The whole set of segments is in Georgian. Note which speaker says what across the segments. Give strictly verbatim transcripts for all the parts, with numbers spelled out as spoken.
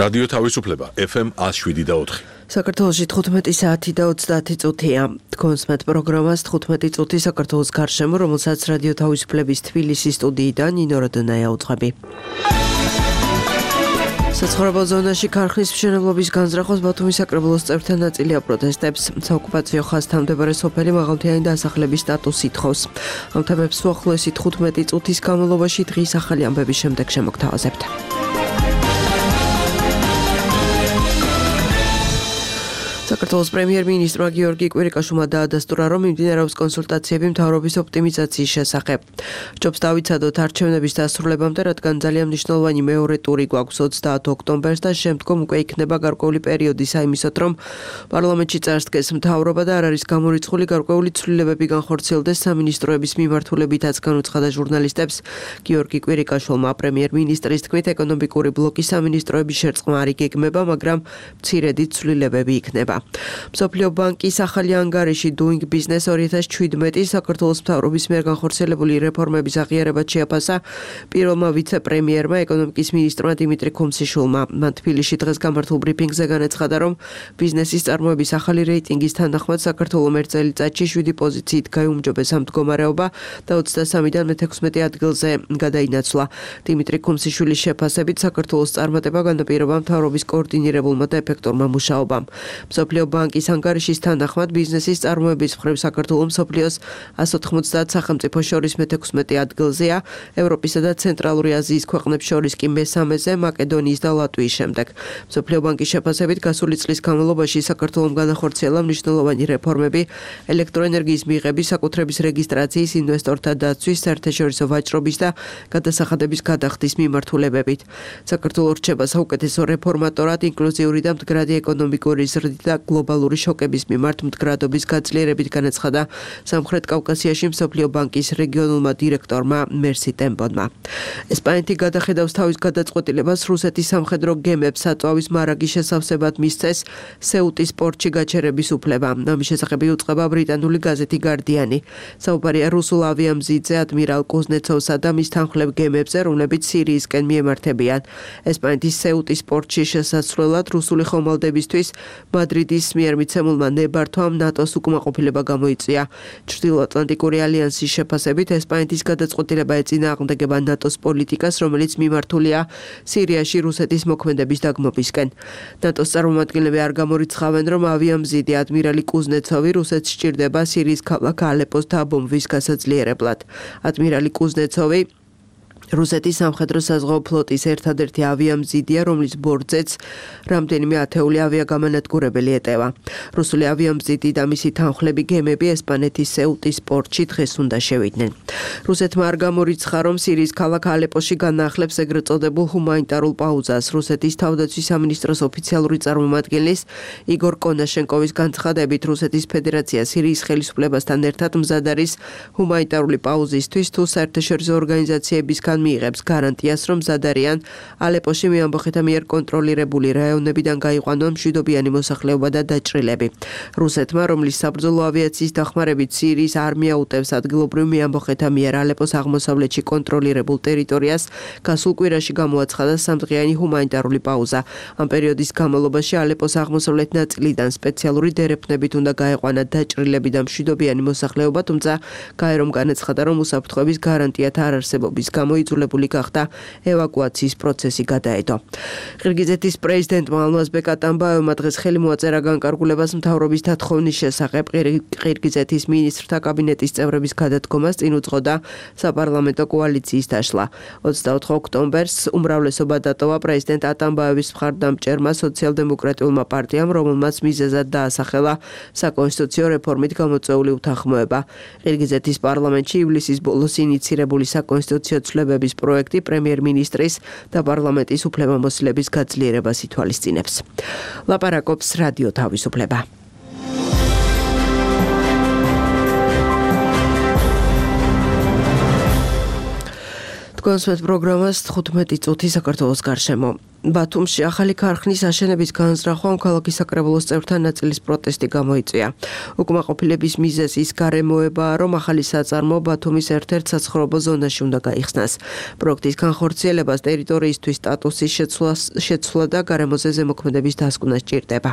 Speaker 1: რადიო თავისუფლება ეფ ემ one oh seven და four.
Speaker 2: საქართველოში თხუთმეტი საათი და ოცდაათი წუთია. თქვენს მეტ პროგრამას თხუთმეტი წუთი საქართველოს გარშემო, რომელსაც რადიო თავისუფლების თბილისის სტუდიიდან ნინო როდონაია უძღვები. საცხოვრებელ ზონაში ქარხნის მშენებლობის განზრახოს ბათუმის საკრებულოს წევრთა ნაწილი აპროტესტებს. საოკუპაციო ხაზთან მდებარე სოფელი მაღალმთიანი დასახლების სტატუსს ითხოვს. ამ თემებს უახლოესი თხუთმეტი წუთის განმავლობაში დღის ახალი ამბების შემდეგ შემოგთავაზებთ. საქართველოს პრემიერ-მინისტრმა გიორგი კვირიკაშვილმა დაადასტურა, რომ მიმდინარეობს კონსულტაციები მთავრობის ოპტიმიზაციის შესახებ. ჯობს დავიცადოთ არჩევნების დასრულებამდე, რადგან ძალიან მნიშვნელოვანი მეორე ტური გვაქვს ოცდაათ ოქტომბერს და შემდგომ უკვე იქნება გარკვეული პერიოდი საიმისოდ, რომ პარლამენტში წარსდგეს მთავრობა და არ არის გამორიცხული გარკვეული ცვლილებები განხორციელდეს სამინისტროების მიმართულებითაც განუცხადა ჟურნალისტებს გიორგი კვირიკაშვილმა. პრემიერ-მინისტრის თქმით, ეკონომიკური ბლოკი სამინისტროების შერწყმა არ იგეგმება, მაგრამ მცირედი ცვლილებები იქნება. მსოფლიო ბანკის ახალი ანგარიში Doing Business two thousand seventeen საქართველოს მთავრობის მიერ განხორციელებული რეფორმების აღიარებად შეაფასა პირველმა ვიცე-პრემიერმა ეკონომიკის მინისტრმა დიმიტრი ქუმსიშვილმა. მან თბილისში დღეს გამართულ ბრიფინგზე განაცხადა, რომ ბიზნესის წარმოების ახალი რეიტინგის თანახმად საქართველოს ერთ წელიწადში შვიდი პოზიციით გაიუმჯობეს ამ მდგომარეობა და ოცდასამიდან მეთექვსმეტე ადგილზე გადაინაცვლა. დიმიტრი ქუმსიშვილის შეფასებით საქართველოს წარმატება განაპირობა მთავრობის კოორდინირებულმა და ეფექტურმა მუშაობამ. მსოფლიო ბანკის ანგარიშის თანახმად ბიზნესის წარმოების მხრივ საქართველოს მსოფლიოს one ninety სახელმწიფო შორის მეთექვსმეტე ადგილზეა, ევროპისა და ცენტრალური აზიის ქვეყნებს შორის კი მესამეზე, მაკედონიის და ლატვიის შემდეგ. მსოფლიო ბანკის შეფასებით გასული წლის განმავლობაში საქართველოს განახორციელა მნიშვნელოვანი რეფორმები ელექტროენერგიის მიღების, საკუთრების რეგისტრაციის, ინვესტორთა დაცვის, საერთაშორისო ვაჭრობის და გადასახადების გადახდის მიმართულებებით. საქართველოს რჩება საუკეთესო რეფორმატორად, ინკლუზიური და მდგრადი ეკონომიკური ზრდით და გლობალური შოკების მიმართ მდგრადობის გაძლიერებით განაცხადა სამხრეთ კავკასიაში მსოფლიო ბანკის რეგიონულმა დირექტორმა მერსი ტემპონმა. ესპანეთი გადახედავს თავის გადაწყვეტილებას რუსეთის სამხედრო გემებს საწვავის მარაგის შესავსებად მისცეს სეუტის პორტში გაჩერების უფლება. ამის შესახებ იუწყება ბრიტანული გაზეთი გარდიანი. საუბარია რუსულ ავიამზიდზე ადმირალ კუზნეცოვსა და მის თანხლებ გემებზე, რომლებიც სირიისკენ მიემართებიან. ესპანეთის სეუტის პორტში შესასვლელად რუსული ხომალდებისთვის მადრიდის მიერ მიცემულმა ნებართვამ ნატოს უკმაყოფილება გამოიწვია. ჩრდილოატლანტიკური ალიანსის შეფასებით ესპანეთის გადაწყვეტილება ეწინააღმდეგება ნატოს პოლიტიკას, რომელიც მიმართულია სირიაში რუსეთის მოქმედების დაგმობისკენ. ნატოს წარმომადგენლები არ გამორიცხავენ, რომ ავიამზიდი ადმირალი კუზნეცოვი რუსეთს სჭირდება სირიის ქალაქ ალეპოს დაბომბვის გასაძლიერებლად. ადმირალი კუზნეცოვი რუსეთის სამხედრო საზღვაო ფლოტის ერთადერთი ავიამზიდია, რომლის ბორცვზეც რამდენიმე ათეული ავიაგამანადგურებელი ეტევა. რუსული ავიამზიდი და მისი თანხლები გემები ესპანეთის სეუტის პორტში დღეს უნდა შევიდნენ. რუსეთმა არ გამორიცხა, რომ სირიის ქალაქ ალეპოში განაახლებს ეგრეთ წოდებულ ჰუმანიტარულ პაუზას. რუსეთის თავდაცვის სამინისტროს ოფიციალური წარმომადგენლის იგორ კონაშენკოვის განცხადებით, რუსეთის ფედერაცია სირიის ხელისუფლებასთან ერთად მზად არის ჰუმანიტარული პაუზისთვის, თუ საერთაშორისო ორგანიზაციებისგან მიიღებს გარანტიას, რომ მზად არიან ალეპოში მეამბოხეთა მიერ კონტროლირებული რაიონებიდან გაიყვანონ მშვიდობიანი მოსახლეობა და დაჭრილები. რუსეთმა, რომლის საბრძოლო ავიაციის დახმარებით სირიის არმია უტევს ადგილობრივ მეამბოხეთა მიერ ალეპოს აღმოსავლეთში კონტროლირებულ ტერიტორიას, გასულ კვირაში გამოაცხადა სამდღიანი ჰუმანიტარული პაუზა. ამ პერიოდის განმავლობაში ალეპოს აღმოსავლეთ ნაწილიდან სპეციალური დერეფნებით უნდა გაეყვანა დაჭრილები და მშვიდობიანი მოსახლეობა, თუმცა გაერომ განაცხადა, რომ უსაფრთხოების გარანტიათა არ არსებობის გამო იძულებული გახდა ევაკუაციის პროცესი გადაედო. ყირგიზეთის პრეზიდენტმა ალმაზბეკ ატამბაევმა დღეს ხელი მოაწერა განკარგულებას მთავრობის დათხოვნის შესახებ. ყირგიზეთის მინისტრთა კაბინეტის წევრების გადადგომას წინ უძღოდა საპარლამენტო კოალიციის დაშლა. ოცდაოთხ ოქტომბერს უმრავლესობა დატოვა პრეზიდენტ ატამბაევის მხარდამჭერმა სოციალ-დემოკრატიულმა პარტიამ, რომელმაც მიზეზად დაასახელა საკონსტიტუციო რეფორმით გამოწვეული უთანხმოება. ყირგიზეთის პარლამენტში ივლისის ბოლოს ინიცირებული საკონსტიტუციო ცვლილებების პროექტი პრემიერ-მინისტრის და პარლამენტის უფლებამოსილების გაძლიერებას ითვალისწინებს. ლაპარაკობს რადიო თავისუფლება. თქვენს პროგრამას თხუთმეტი წუთი საქართველოს გარშემო. ბათუმში ახალი ქარხნის აშენების განზრახვამ ქალაქის საკრებულოს წევრთა ნაწილის პროტესტი გამოიწვია. უკმაყოფილების მიზეზი ის გარემოებაა, რომ ახალი საწარმო ბათუმის ერთ-ერთ საცხოვრებელ ზონაში უნდა გაიხსნას. პროექტის განხორციელებას ტერიტორიისთვის სტატუსის შეცვლა და გარემოზე ზემოქმედების დასკვნა სჭირდება.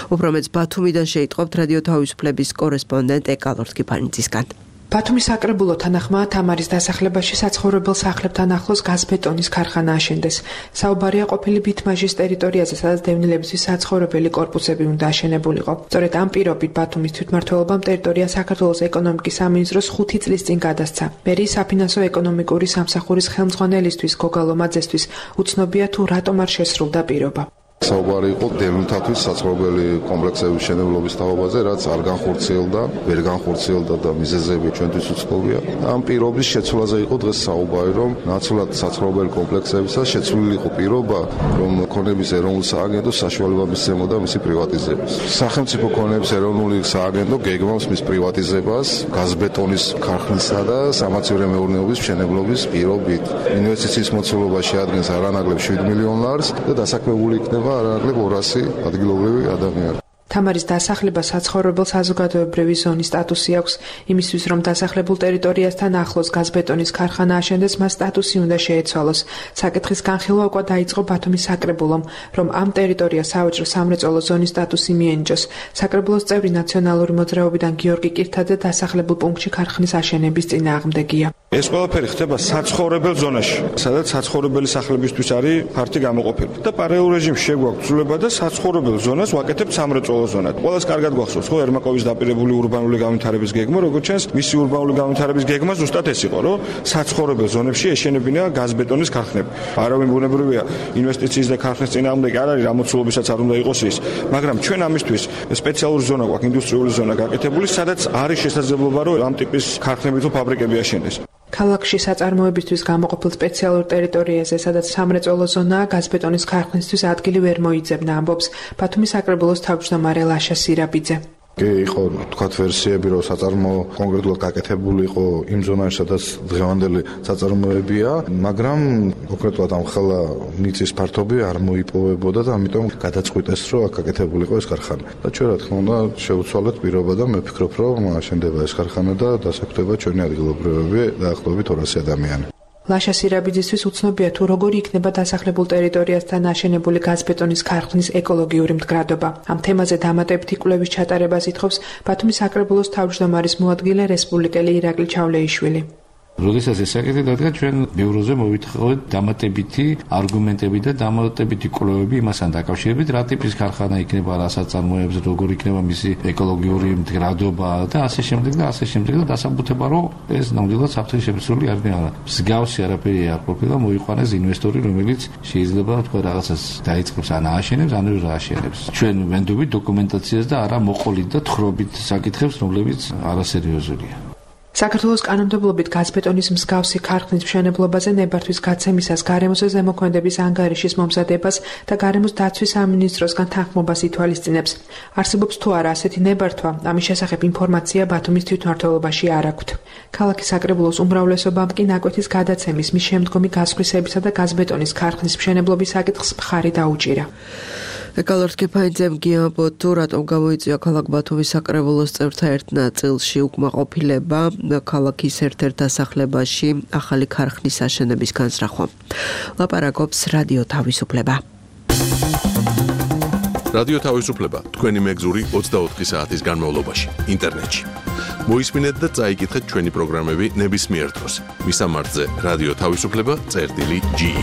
Speaker 2: უფრო მეც ბათუმიდან შეიტყობთ რადიო თავისუფლების კორესპონდენტ ეკალორთკიფანიძისგან.
Speaker 3: ბათუმის საკრებულო თანახმაა თამარის დასახლებაში საცხოვრებელ სახლებთან ახლოს გაზბეტონის ქარხანა აშენდეს. საუბარია ყოფილი ბითმაჟის ტერიტორიაზე, სადაც დევნილებისთვის საცხოვრებელი კორპუსები უნდა აშენებულიყო. სწორედ ამ პირობით ბათუმის თვითმმართველობამ ტერიტორია საქართველოს ეკონომიკის სამინისტროს ხუთი წლის წინ გადასცა. მერიის საფინანსო ეკონომიკური სამსახურის ხელმძღვანელისთვის გოგა ლომაძესთვის უცნობია თუ რატომ არ შესრულდა პირობა.
Speaker 4: საუბარი იყო დევნილთათვის საცხოვრებელი კომპლექსების მშენებლობის თაობაზე, რაც არ განხორციელდა, ვერ განხორციელდა და მიზეზები ჩვენთვის უცნობია. ამ პირობის შეცვლაზე იყო დღეს საუბარი, რომ ნაცვლად საცხოვრებელი კომპლექსებისა შეცვლილი იყო პირობა, რომ ქონების ეროვნულ სააგენტოს საშუალება მისცემოდა მისი პრივატიზებას. სახელმწიფო ქონების ეროვნული სააგენტო გეგმავს მის პრივატიზებას გაზბეტონის ქარხნისა და სამაცივრო მეურნეობის მშენებლობის პირობით. ინვესტიციის მოცულობა შეადგენს არანაკლებ შვიდ მილიონ ლარს და დასაქმებული იქნება არანაკლებ ორასი ადგილობრივი ადამიანი.
Speaker 3: თამარის დასახლება საცხოვრებელ საზოგადოებრივი ზონის სტატუსი აქვს. იმისთვის, რომ დასახლებულ ტერიტორიასთან ახლოს გაზბეტონის ქარხანა აშენდეს, მას სტატუსი უნდა შეეცვალოს. საკითხის განხილვა უკვე დაიწყო ბათუმის საკრებულომ, რომ ამ ტერიტორიას სავაჭრო სამრეწველო ზონის სტატუსი მიენიჭოს. საკრებულოს წევრი ნაციონალური მოძრაობიდან გიორგი კირთაძე დასახლებულ პუნქტში ქარხნის აშენების წინააღმდეგია.
Speaker 5: ეს ყველაფერი ხდება საცხოვრებელ ზონაში, სადაც საცხოვრებელი სახლებისთვის არის ფართი გამოყოფილი. და პარალელურ რეჟიმში შეგვაქვს ცვლილება და საცხოვრებელ ზონას ვაკეთებთ სამრეწველო ზონად. ყველას კარგად გვახსოვს, ხო, ერმაკოვის დაპირებული урბანული განვითარების გეგმა, როგორც ჩანს, მისი урბანული განვითარების გეგმა ზუსტად ეს იყო, რომ საცხოვრებელ ზონებში ეშენებინა გაზბეტონის ქარხნები. არავინ ბუნებრივია ინვესტიციის და ქარხნის წინააღმდეგი არ არის, რამოცულობისაც არ უნდა იყოს ის, მაგრამ ჩვენ ამისთვის სპეციალური ზონა გვაქვს, ინდუსტრიული ზონა გაკეთებული, სადაც არის შესაძლებლობა, რომ ამ ტიპის ქარხნები თუ ფაბრიკები აშენდეს.
Speaker 3: ქალაქში საწარმოებისთვის გამოყოფილ სპეციალურ ტერიტორიაზე, სადაც სამრეწველო ზონაა, გაზბეტონის ქარხნისთვის ადგილი ვერ მოიძებნა, ამბობს ბათუმის საკრებულოს თავმჯდომარე ლაშა სირაბიძე.
Speaker 4: კი, იყო თქვათ ვერსიები, რომ საწარმო კონკრეტულად გაკეთებული იყო იმ ზონაში, სადაც დღევანდელი საწარმოებია, მაგრამ კონკრეტულად ამ ხელა მიწის ფართობი არ მოიპოვებოდა და ამიტომ გადაწყვიტეს, რომ აქ გაკეთებული იყო ეს ქარხანა. და ჩვენ რა თქმა უნდა შევცვალეთ პირობა და მე ვფიქრობ, რომ აშენდება ეს ქარხანა და დასაქმდება ჩვენი ადგილობრივები დაახლოებით ორასი ადამიანი.
Speaker 3: ლაშა სირაბიძისთვის უცნობია თუ როგორი იქნება დასახლებულ ტერიტორიასთან აშენებული გაზბეტონის ქარხნის ეკოლოგიური მდგრადობა. ამ თემაზე დამატებითი კვლევის ჩატარებას ითხოვს ბათუმის საკრებულოს თავმჯდომარის მოადგილე რესპუბლიკელი ირაკლი ჩავლეიშვილი.
Speaker 6: როდესაც ეს საკითხი დადგა, ჩვენ ბიუროზე მოვითხოვეთ დამატებითი არგუმენტები და დამატებითი კვლევები იმასთან დაკავშირებით, რა ტიპის ქარხანა იქნება, რა საწარმოებს, როგორ იქნება მისი ეკოლოგიური მდგრადობა და ასე შემდეგ და ასე შემდეგ და დასაბუთება, რომ ეს ნამდვილად საფრთხის შემცველი არ არის. მსგავსი არაფერი არ ყოფილა, მოიყვანეს ინვესტორი, რომელიც შეიძლება თქვა რაღაცას დაიწყებს, ან ააშენებს, ან რა აშენებს. ჩვენ ვენდობით დოკუმენტაციას და არა მოყოლით და თხრობით საკითხებს, რომლებიც არასერიოზულია.
Speaker 3: საქართველოს კანონმდებლობით გაზბეტონის მსგავსი ქარხნის მშენებლობაზე ნებართვის გაცემისას გარემოზე ზემოქმედების ანგარიშის მომზადებას და გარემოს დაცვის სამინისტროსგან თანხმობას ითვალისწინებს. არსებობს თუ არა ასეთი ნებართვა, ამის შესახებ ინფორმაცია ბათუმის თვითმმართველობაში არ აქვთ. ქალაქის საკრებულოს უმრავლესობამ კი ნაკვეთის გადაცემის, მის შემდგომი გასხვისებისა და გაზბეტონის ქარხნის მშენებლობის საკითხს მხარი დაუჭირა.
Speaker 2: ეკალორთკიფანიძემ გიამბოთ თუ რატომ გამოიწვია ქალაქ ბათუმის საკრებულოს წევრთა ერთ ნაწილში უკმაყოფილება ქალაქის ერთ-ერთ დასახლებაში ახალი ქარხნის აშენების განზრახვამ. ლაპარაკობს რადიო თავისუფლება.
Speaker 1: რადიო თავისუფლება თქვენი მეგზური ოცდაოთხი საათის განმავლობაში ინტერნეტში. მოისმინეთ და წაიკითხეთ ჩვენი პროგრამები ნებისმიერ დროს. მისამართზე რადიო თავისუფლება წერტილი ჯი.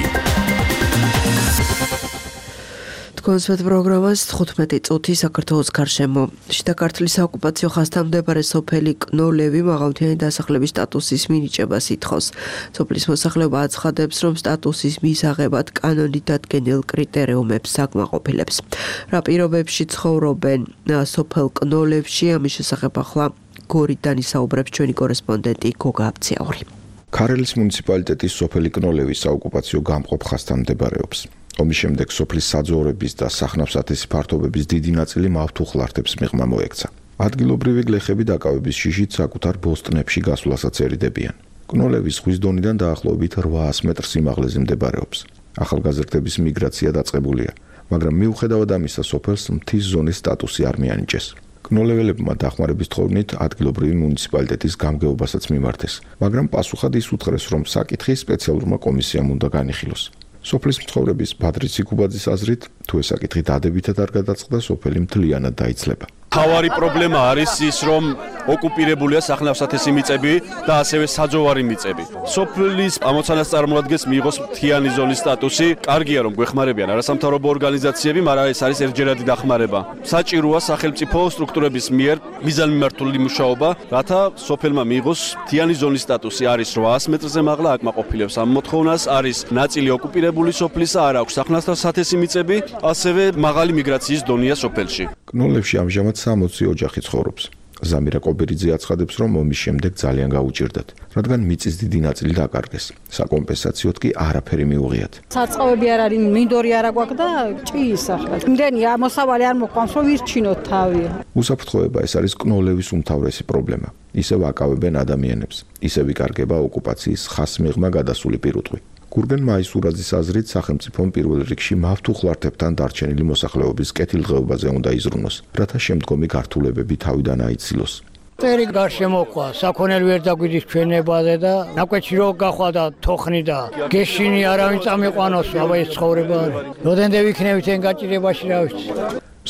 Speaker 2: კონსვეთ პროგრამას თხუთმეტი წუთი საქართველოს გარშემო. შიდა ქართლის საოკუპაციო ხაზთან მდებარე სოფელი კნოლევი მაღალმთიანი დასახლების სტატუსის მინიჭებას ითხოვს. სოფლის მოსახლეობა აცხადებს, რომ სტატუსის მისაღებად კანონით დადგენილ კრიტერიუმებს საკმაყოფილებს. რა პირობებში ცხოვრობენ სოფელ კნოლევში, ამის შესახებ ახლა გორიდან ისაუბრებს ჩვენი კორესპონდენტი გოგა აბციაური.
Speaker 7: ქარელის მუნიციპალიტეტის სოფელი კნოლევის საოკუპაციო გამყოფ ხაზთან მდებარეობს. ომის შემდეგ სოფლის საძოვრების და სახნავსათესი ფართობების დიდი ნაწილი მავთუხლართებს მიღმა მოექცა. ადგილობრივი გლეხები დაკავების შიშით საკუთარ ბოსტნებში გასვლასაც ერიდებიან. კნოლევის ზღვის დონიდან დაახლოებით რვაას მეტრ სიმაღლეზე მდებარეობს. ახალგაზრდების მიგრაცია დაწყებულია, მაგრამ მიუხედავად ამისა სოფელს მთის ზონის სტატუსი არ მიანიჭეს. კნოლეველებმა დახმარების თხოვნით ადგილობრივი მუნიციპალიტეტის გამგეობასაც მიმართეს, მაგრამ პასუხად ის უთხრეს, რომ საკითხი სპეციალურმა კომისიამ უნდა განიხილოს. სოფლის მცხოვრების ბადრი ციკუბაძის აზრით, თუ ეს საკითხი დადებითად არ გადაწყდა, სოფელი მთლიანად დაიცლება.
Speaker 8: თავარი პრობლემა არის ის, რომ ოკუპირებულია სახნავსათესი მიწები და ასევე საძოვარი მიწები. სოფლის ამოცანას წარმოადგენს მიიღოს მთიანი ზონის სტატუსი. კარგია, რომ გვეხმარებიან არასამთავრობო ორგანიზაციები, მაგრამ ეს არის ერთჯერადი დახმარება. საჭიროა სახელმწიფო სტრუქტურების მიერ მიზანმიმართული მუშაობა, რათა სოფელმა მიიღოს მთიანი ზონის სტატუსი. არის რვაას მეტრზე მაღლა, აკმაყოფილებს ამ მოთხოვნას, არის ნაწილი ოკუპირებული სოფლისა, არ აქვს სახნავსათესი მიწები, ასევე მაღალი მიგრაციის დონეა სოფელში.
Speaker 7: კნოლევში ამჟამად სამოცი ოჯახი ცხოვრობს. ზამირა კობერიძე აცხადებს, რომ ომის შემდეგ ძალიან გაუჭირდათ, რადგან მიწის დიდი ნაწილი დაკარგეს. საკომპენსაციოდ კი არაფერი მიუღიათ.
Speaker 9: საწყობები არ არის, მინდორი არ აქვს და ჭიის ახლა. იმდენი მოსავალი არ მოყვანს, რომ ვირჩინოთ თავი.
Speaker 7: უსაფრთხოება ეს არის კნოლევის უმთავრესი პრობლემა. ისევ აკავებენ ადამიანებს, ისევ იკარგება ოკუპაციის ხასმიღმა გადასული პირუტყვი. გურგენ მაისურაძის აზრით, სახელმწიფომ პირველ რიგში მავთუხლართებთან დარჩენილი მოსახლეობის კეთილდღეობაზე უნდა იზრუნოს, რათა შემდგომი გართულებები თავიდან აიცილოს.
Speaker 10: წერი გარშემოყვა, საქონელი ვერ დაგვიდის ჩვენებაზე და ნაკვეთში რო გახვა და თოხნი და გეშინი არავინ წამიყვანოს, აბა ეს ცხოვრება არის. როდენდე ვიქნებით εν გაჭირებაში რა ვიცი.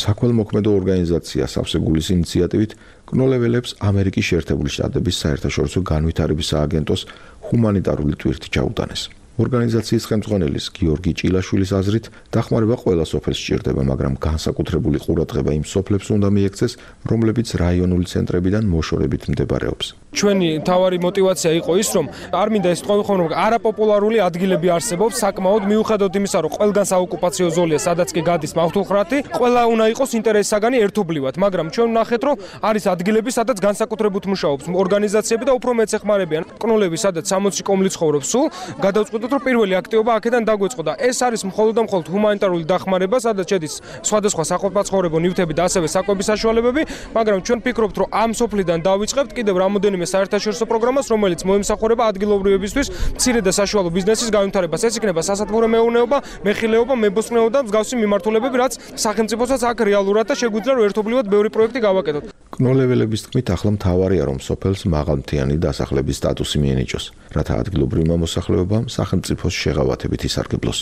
Speaker 7: საქველმოქმედო ორგანიზაცია სავსეგულის ინიციატივით კნოლეველებს ამერიკის შეერთებული შტატების საერთაშორისო განვითარების სააგენტოს ჰუმანიტარული ტვირთი ჩაუტანეს. ორგანიზაციის ხელმძღვანელის გიორგი ჭილაშვილის აზრით, დახმარება ყველა სოფელს სჭირდება, მაგრამ განსაკუთრებული ყურადღება იმ სოფლებს უნდა მიექცეს, რომლებიც რაიონული ცენტრებიდან მოშორებით მდებარეობს.
Speaker 11: ჩვენი მთავარი мотиваცია იყო ის, რომ არ მინდა ეს თქვენ ხომ რომ არაპოპულარული ადგილები არსებობს, საკმაოდ მიუხედავად იმისა, რომ ყველგან საოკუპაციო ზოლია, სადაც კი გადის მავთულხრათი, ყველა უნდა იყოს ინტერესსაგანი ერთობლივად, მაგრამ ჩვენ ვნახეთ, რომ არის ადგილები, სადაც განსაკუთრებულად მუშაობს ორგანიზაციები და უფრო მეც ეხმარებიან. კნოლები, სადაც სამოცი კომლი ცხოვრობს სულ, გადავწყვეტ რომ პირველი აქტივობა აქედან დაგვეწყო და ეს არის მხოლოდ და მხოლოდ ჰუმანიტარული დახმარება, სადაც შედის სხვადასხვა საყოფაცხოვრებო ნივთები და ასევე საკვების საშუალებები, მაგრამ ჩვენ ვფიქრობთ, რომ ამ სოფლიდან დავიწყებთ კიდევ რამოდენიმე საერთაშორისო პროგრამას, რომელიც მოემსახურება ადგილობრივებისთვის მცირე და საშუალო ბიზნესის განვითარებას. ეს იქნება სასათბურო მეურნეობა, მეხილეობა, მებოსტნეობა და მსგავსი მიმართულებები, რაც სახელმწიფოსაც აქ რეალურად და შეგვიძლია რომ ერთობლივად ბევრი პროექტი გავაკეთოთ.
Speaker 7: კნოლეველების თქმით, ახლა მთავარია რომ სოფელს მაღალმთიანი დასახლების სტატუსი მიენიჭოს, რათა ადგილობრივმა მოსახლეობამ სახელმწიფოს შეღავათებით ისარგებლოს.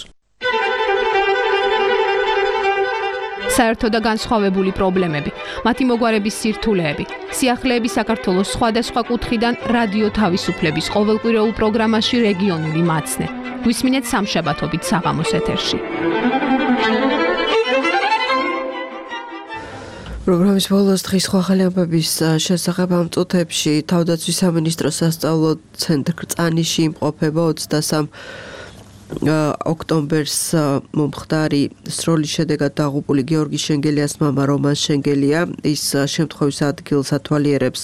Speaker 12: საერთო და განსხვავებული პრობლემები, მათი მოგვარების სირთულეები, სიახლეები საქართველოს სხვადასხვა კუთხიდან რადიო თავისუფლების ყოველკვირეულ პროგრამაში რეგიონული მაცნე. გვისმინეთ სამშაბათობით საღამოს ეთერში.
Speaker 2: პროგრამის ბოლოს დღის სხვა ახალი ამბების შესახებ ამ წუთებში თავდაცვის სამინისტროს სასწავლო ცენტრ კრწანიში იმყოფება ოცდასამ ოქტომბერს მომხდარი სროლის შედეგად დაღუპული გიორგი შენგელიას მამა რომან შენგელია. ის შემთხვევის ადგილს ათვალიერებს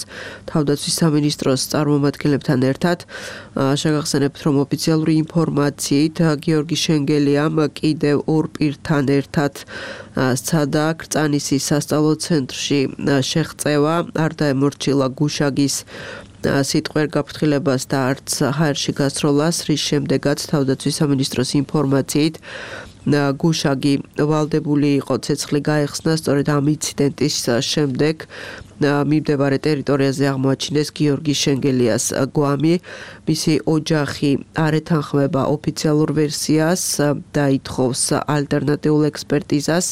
Speaker 2: თავდაცვის სამინისტროს წარმომადგენლებთან ერთად. შეგახსენებთ, რომ ოფიციალური ინფორმაციით გიორგი შენგელიამ კიდევ ორ პირთან ერთად სცადა კრწანისის სასწავლო ცენტრში შეღწევა, არ დაემორჩილა გუშაგის სიტყვიერ გაფრთხილებას და არც ჰაერში გასროლას, რის შემდეგაც თავდაცვის სამინისტროს ინფორმაციით გუშაგი ვალდებული იყო ცეცხლი გაეხსნა. სწორედ ამ ინციდენტის შემდეგ მიმდებარე ტერიტორიაზე აღმოაჩინეს გიორგი შენგელიას გვამი. მისი ოჯახი არ ეთანხმება ოფიციალურ ვერსიას და ითხოვს ალტერნატიულ ექსპერტიზას.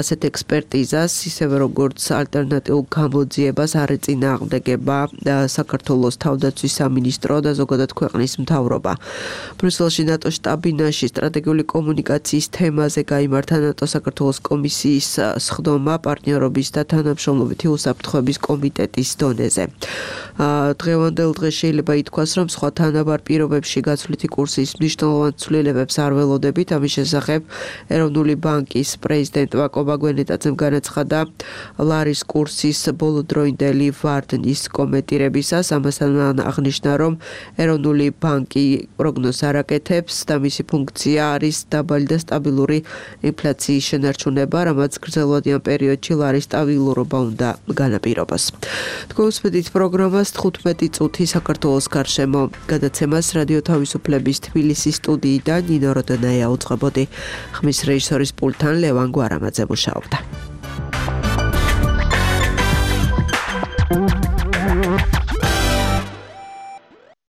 Speaker 2: ასეთ ექსპერტიზას, ისევე როგორც ალტერნატიულ გამოძიებას არ ეწინააღმდეგება საქართველოს თავდაცვის სამინისტრო და ზოგადად ქვეყნის მთავრობა. ბრიუსელში ნატოს შტაბ-ბინაში სტრატეგიული კომუნიკაციის თემაზე გაიმართა ნატო-საქართველოს კომისიის სხდომა პარტნიორობის და თანამშრომლობითი უსაფრთხოების კომიტეტის დონეზე. დღევანდელ დღეს შეიძლება ითქვას, რომ სხვა თანაბარ პირობებში გაცვლითი კურსის მნიშვნელოვან ცვლილებებს არ ველოდებით. ამის შესახებ ეროვნული ბანკის პრეზიდენტ ვაკო ბაგვენეტაძემ განაცხადა ლარის კურსის ბოლოდროინდელი ვარდნის კომენტირებისას. ამასთან აღნიშნა, რომ ეროვნული ბანკი პროგნოზს არ აკეთებს და მისი ფუნქცია არის დაბალი და სტაბილური ინფლაციის შენარჩუნება, რამაც გრძელვადიან პერიოდში ლარის სტაბილურობა უნდა განაპირობოს. თქვენსმენთ პროგრამას თხუთმეტი წუთი საქართველოს გარშემო გადაცემას რადიო თავისუფლების თბილისის სტუდიიდან ნინო როდონაია უძღვებოდი. ხმის რეჟისორის პულტთან ლევან გვარამაძე მუშაობდა.